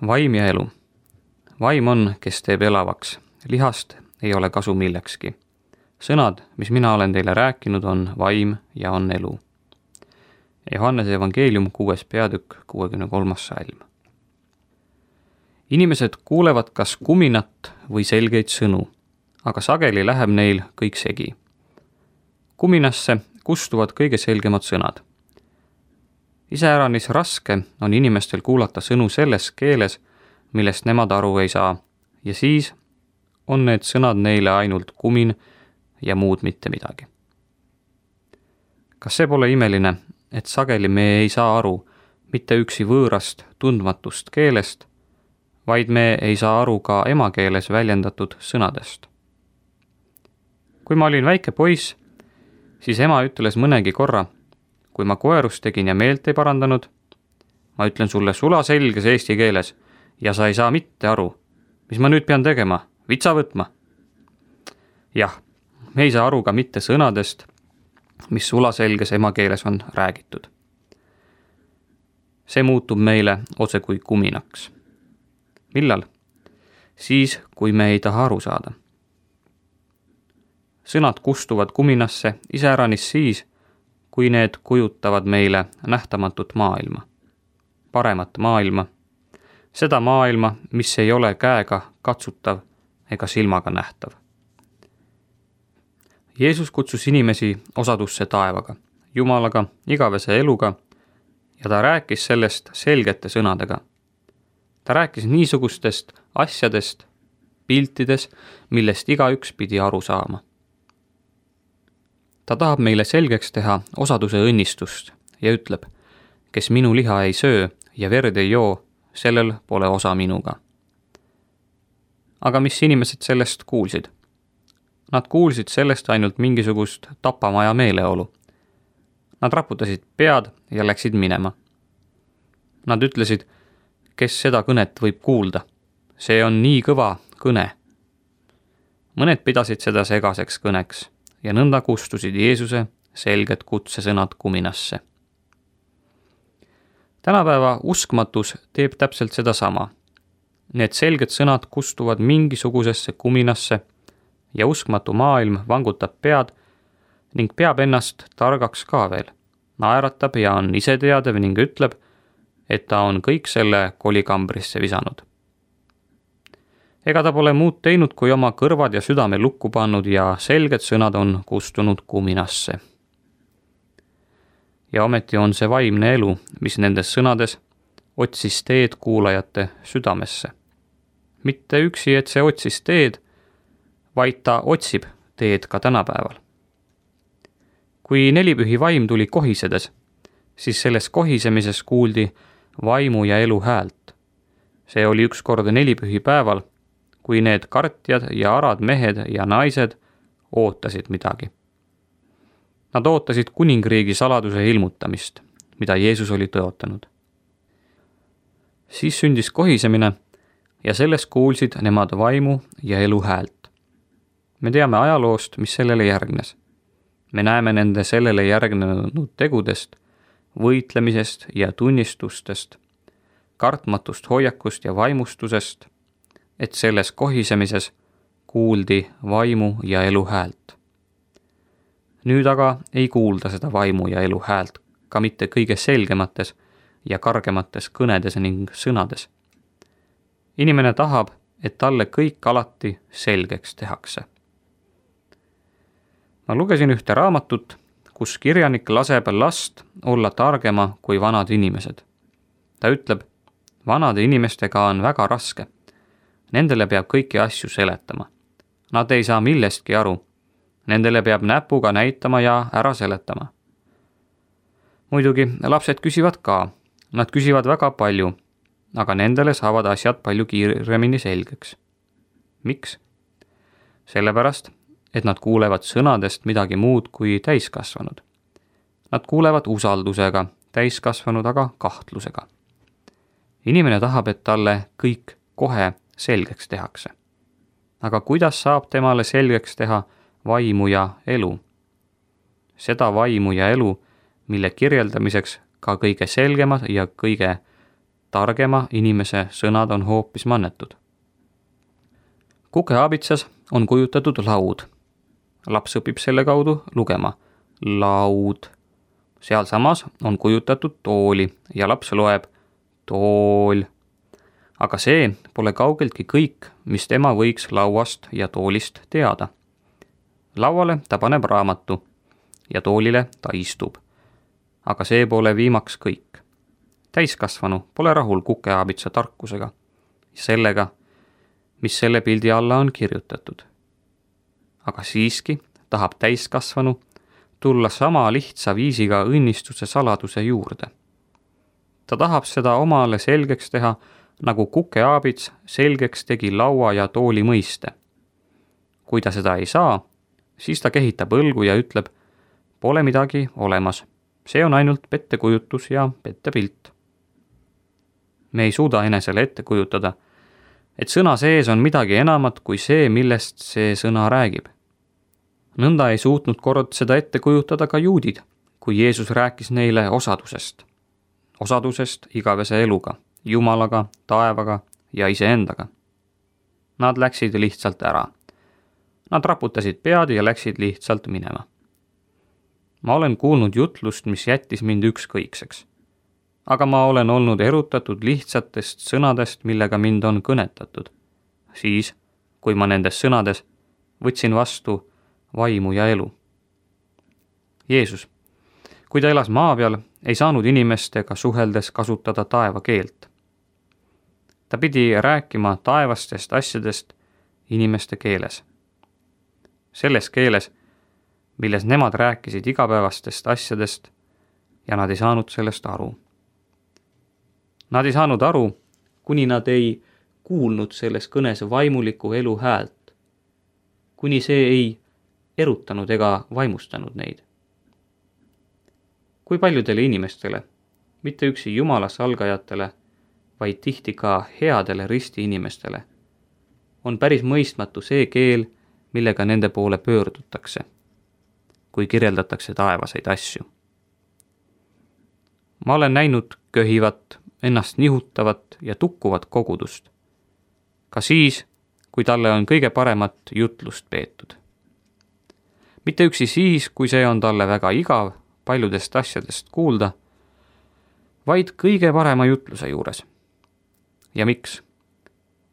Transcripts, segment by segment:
Vaim ja elu. Vaim on, kes teeb elavaks. Lihast ei ole kasu millekski. Sõnad, mis mina olen teile rääkinud, on vaim ja on elu. Johannese evangeelium 6. peatükk 63. salm. Inimesed kuulevad kas kuminat või selgeid sõnu, aga sageli läheb neil kõik segi. Kuminasse kustuvad kõige selgemad sõnad. Iseäranis raske on inimestel kuulata sõnu selles keeles, millest nemad aru ei saa, ja siis on need sõnad neile ainult kumin ja muud mitte midagi. Kas see pole imeline, et sageli me ei saa aru mitte üksi võõrast, tundmatust keelest, vaid me ei saa aru ka emakeeles väljendatud sõnadest? Kui ma olin väike poiss, siis ema ütles mõnegi korra, kui ma koerust tegin ja meelt ei parandanud, ma ütlen sulle sulaselges eesti keeles ja sa ei saa mitte aru, mis ma nüüd pean tegema, vitsa võtma. Jah, me ei saa aru ka mitte sõnadest, mis sulaselges emakeeles on räägitud. See muutub meile otse kui kuminaks. Millal? Siis, kui me ei taha aru saada. Sõnad kustuvad kuminasse iseäranis siis, kui need kujutavad meile nähtamatut maailma, paremat maailma, seda maailma, mis ei ole käega katsutav ega silmaga nähtav. Jeesus kutsus inimesi osadusse taevaga, Jumalaga, igavese eluga ja ta rääkis sellest selgete sõnadega. Ta rääkis niisugustest asjadest, piltides, millest igaüks pidi aru saama. Ta tahab meile selgeks teha osaduse õnnistust ja ütleb, kes minu liha ei söö ja verd ei joo, sellel pole osa minuga. Aga mis inimesed sellest kuulsid? Nad kuulsid sellest ainult mingisugust tapamaja meeleolu. Nad raputasid pead ja läksid minema. Nad ütlesid, kes seda kõnet võib kuulda. See on nii kõva kõne. Mõned pidasid seda segaseks kõneks ja nõnda kustusid Jeesuse selged kutsesõnad kuminasse. Tänapäeva uskmatus teeb täpselt sedasama. Need selged sõnad kustuvad mingisugusesse kuminasse ja uskmatu maailm vangutab pead ning peab ennast targaks ka veel. Naeratab ja on iseteadev ning ütleb, et ta on kõik selle kolikambrisse visanud. Ega ta pole muud teinud, kui oma kõrvad ja südame lukku pannud ja selged sõnad on kustunud kuminasse. Ja ometi on see vaimne elu, mis nendes sõnades otsis teed kuulajate südamesse. Mitte üksi, et see otsis teed, vaid ta otsib teed ka tänapäeval. Kui nelipühi vaim tuli kohisedes, siis selles kohisemises kuuldi vaimu ja elu häält. See oli ükskord nelipühi päeval, kui need kartjad ja arad mehed ja naised ootasid midagi. Nad ootasid kuningriigi saladuse ilmutamist, mida Jeesus oli tõotanud. Siis sündis kohisemine ja sellest kuulsid nemad vaimu ja elu häält. Me teame ajaloost, mis sellele järgnes. Me näeme nende sellele järgnenud tegudest, võitlemisest ja tunnistustest, kartmatust hoiakust ja vaimustusest, et selles kohisemises kuuldi vaimu ja elu häält. Nüüd aga ei kuulda seda vaimu ja elu häält ka mitte kõige selgemates ja kargemates kõnedes ning sõnades. Inimene tahab, et talle kõik alati selgeks tehakse. Ma lugesin ühte raamatut, kus kirjanik laseb last olla targema kui vanad inimesed. Ta ütleb, vanade inimestega on väga raske. Nendele peab kõiki asju seletama. Nad ei saa millestki aru. Nendele peab näpuga näitama ja ära seletama. Muidugi lapsed küsivad ka. Nad küsivad väga palju, aga nendele saavad asjad palju kiiremini selgeks. Miks? Sellepärast, et nad kuulevad sõnadest midagi muud kui täiskasvanud. Nad kuulevad usaldusega, täiskasvanud aga kahtlusega. Inimene tahab, et talle kõik kohe selgeks tehakse. Aga kuidas saab temale selgeks teha vaimu ja elu? Seda vaimu ja elu, mille kirjeldamiseks ka kõige selgemad ja kõige targema inimese sõnad on hoopis mannetud. Kukeaabitsas on kujutatud laud. Laps õpib selle kaudu lugema. Laud. Sealsamas on kujutatud tooli ja laps loeb tool. Aga see pole kaugeltki kõik, mis tema võiks lauast ja toolist teada. Lauale ta paneb raamatu ja toolile ta istub. Aga see pole viimaks kõik. Täiskasvanu pole rahul kukeaabitsa tarkusega ja sellega, mis selle pildi alla on kirjutatud. Aga siiski tahab täiskasvanu tulla sama lihtsa viisiga õnnistuse saladuse juurde. Ta tahab seda omale selgeks teha, nagu kukeaabits selgeks tegi laua ja tooli mõiste. Kui ta seda ei saa, siis ta kehitab õlgu ja ütleb, pole midagi olemas. See on ainult pettekujutus ja pettepilt. Me ei suuda enesele ette kujutada, et sõna sees on midagi enamat kui see, millest see sõna räägib. Nõnda ei suutnud kord seda ette kujutada ka juudid, kui Jeesus rääkis neile osadusest. Osadusest igavese eluga, Jumalaga, taevaga ja iseendaga. Nad läksid lihtsalt ära. Nad raputasid pead ja läksid lihtsalt minema. Ma olen kuulnud jutlust, mis jättis mind ükskõikseks. Aga ma olen olnud erutatud lihtsatest sõnadest, millega mind on kõnetatud. Siis, kui ma nendes sõnades võtsin vastu vaimu ja elu. Jeesus, kui ta elas maa peal, ei saanud inimestega suheldes kasutada taeva keelt. Ta pidi rääkima taevastest asjadest inimeste keeles. Selles keeles, milles nemad rääkisid igapäevastest asjadest ja nad ei saanud sellest aru. Nad ei saanud aru, kuni nad ei kuulnud selles kõnes vaimuliku elu häält, kuni see ei erutanud ega vaimustanud neid. Kui paljudele inimestele, mitte üksi Jumala salgajatele, vaid tihti ka headele risti inimestele, on päris mõistmatu see keel, millega nende poole pöördutakse, kui kirjeldatakse taevaseid asju. Ma olen näinud köhivat, ennast nihutavat ja tukkuvat kogudust, ka siis, kui talle on kõige paremat jutlust peetud. Mitte üksi siis, kui see on talle väga igav paljudest asjadest kuulda, vaid kõige parema jutluse juures. Ja miks?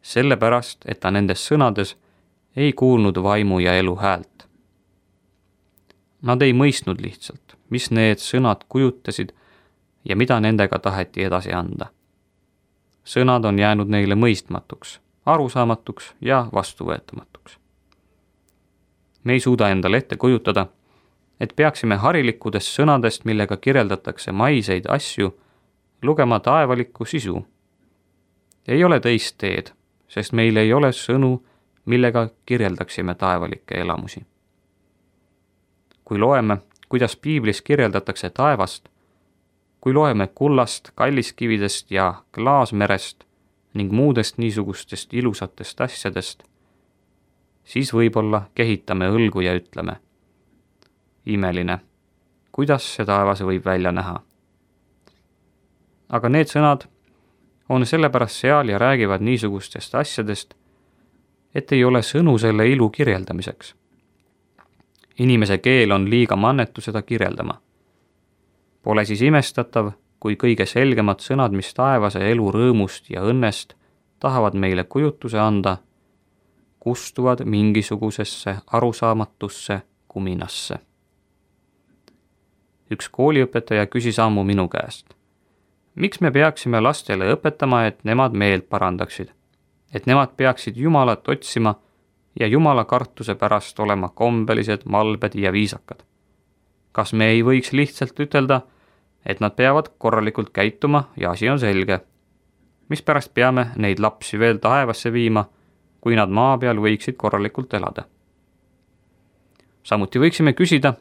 Sellepärast, et ta nendes sõnades ei kuulnud vaimu ja elu häält. Nad ei mõistnud lihtsalt, mis need sõnad kujutasid ja mida nendega taheti edasi anda. Sõnad on jäänud neile mõistmatuks, arusaamatuks ja vastuvõetamatuks. Me ei suuda endale ette kujutada, et peaksime harilikudest sõnadest, millega kirjeldatakse maiseid asju, lugema taevalikku sisu. Ei ole teist teed, sest meil ei ole sõnu, millega kirjeldaksime taevalikke elamusi. Kui loeme, kuidas piiblis kirjeldatakse taevast, kui loeme kullast, kalliskividest ja klaasmerest ning muudest niisugustest ilusatest asjadest, siis võib-olla kehitame õlgu ja ütleme, imeline, kuidas see taevas võib välja näha. Aga need sõnad on sellepärast seal ja räägivad niisugustest asjadest, et ei ole sõnu selle ilu kirjeldamiseks. Inimese keel on liiga mannetu seda kirjeldama. Pole siis imestatav, kui kõige selgemad sõnad, mis taevase elu rõõmust ja õnnest tahavad meile kujutuse anda, kustuvad mingisugusesse arusaamatusse kuminasse. Üks kooliõpetaja küsis ammu minu käest, miks me peaksime lastele õpetama, et nemad meelt parandaksid, et nemad peaksid Jumalat otsima ja Jumala kartuse pärast olema kombelised, malbed ja viisakad. Kas me ei võiks lihtsalt ütelda, et nad peavad korralikult käituma ja asi on selge? Mispärast peame neid lapsi veel taevasse viima, kui nad maa peal võiksid korralikult elada? Samuti võiksime küsida,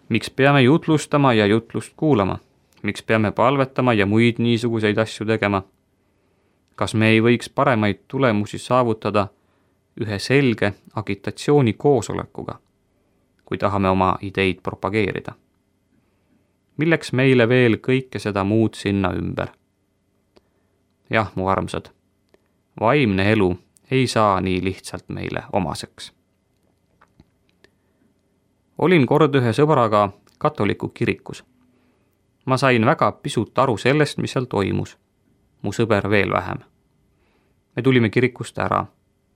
miks peame jutlustama ja jutlust kuulama? Miks peame palvetama ja muid niisuguseid asju tegema? Kas me ei võiks paremaid tulemusi saavutada ühe selge agitatsiooni koosolekuga, kui tahame oma ideid propageerida? Milleks meile veel kõike seda muud sinna ümber? jah, mu armsad, vaimne elu ei saa nii lihtsalt meile omaseks. Olin kord ühe sõbraga katoliku kirikus. Ma sain väga pisut aru sellest, mis seal toimus. Mu sõber veel vähem. Me tulime kirikust ära.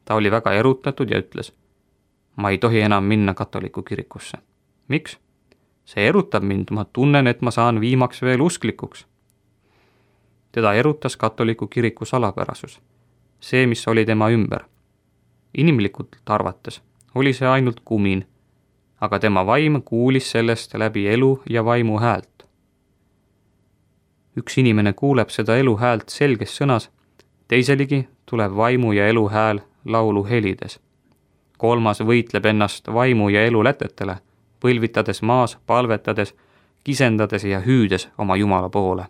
Ta oli väga erutatud ja ütles, ma ei tohi enam minna katoliku kirikusse. Miks? See erutab mind, ma tunnen, et ma saan viimaks veel usklikuks. Teda erutas katoliku kiriku salapärasus. See, mis oli tema ümber. Inimlikult arvates oli see ainult kumin, aga tema vaim kuulis sellest läbi elu ja vaimu häält. Üks inimene kuuleb seda elu häält selges sõnas, teiseligi tuleb vaimu ja elu hääl laulu helides. Kolmas võitleb ennast vaimu ja elu lätetele, põlvitades maas, palvetades, kisendades ja hüüdes oma Jumala poole.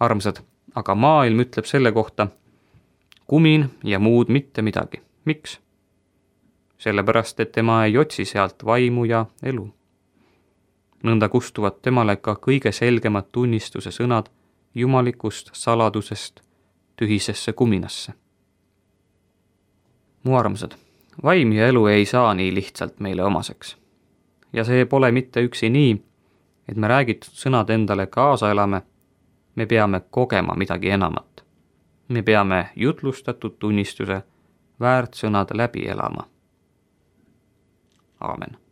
Armsad, aga maailm ütleb selle kohta, kumin ja muud mitte midagi. Miks? Sellepärast, et tema ei otsi sealt vaimu ja elu. Nõnda kustuvad temale ka kõige selgemad tunnistuse sõnad jumalikust saladusest tühisesse kuminasse. Mu armsad, vaim ja elu ei saa nii lihtsalt meile omaseks. Ja see pole mitte üksi nii, et me räägitud sõnad endale kaasa elame, me peame kogema midagi enamat. Me peame jutlustatud tunnistuse väärt sõnad läbi elama. Aamen.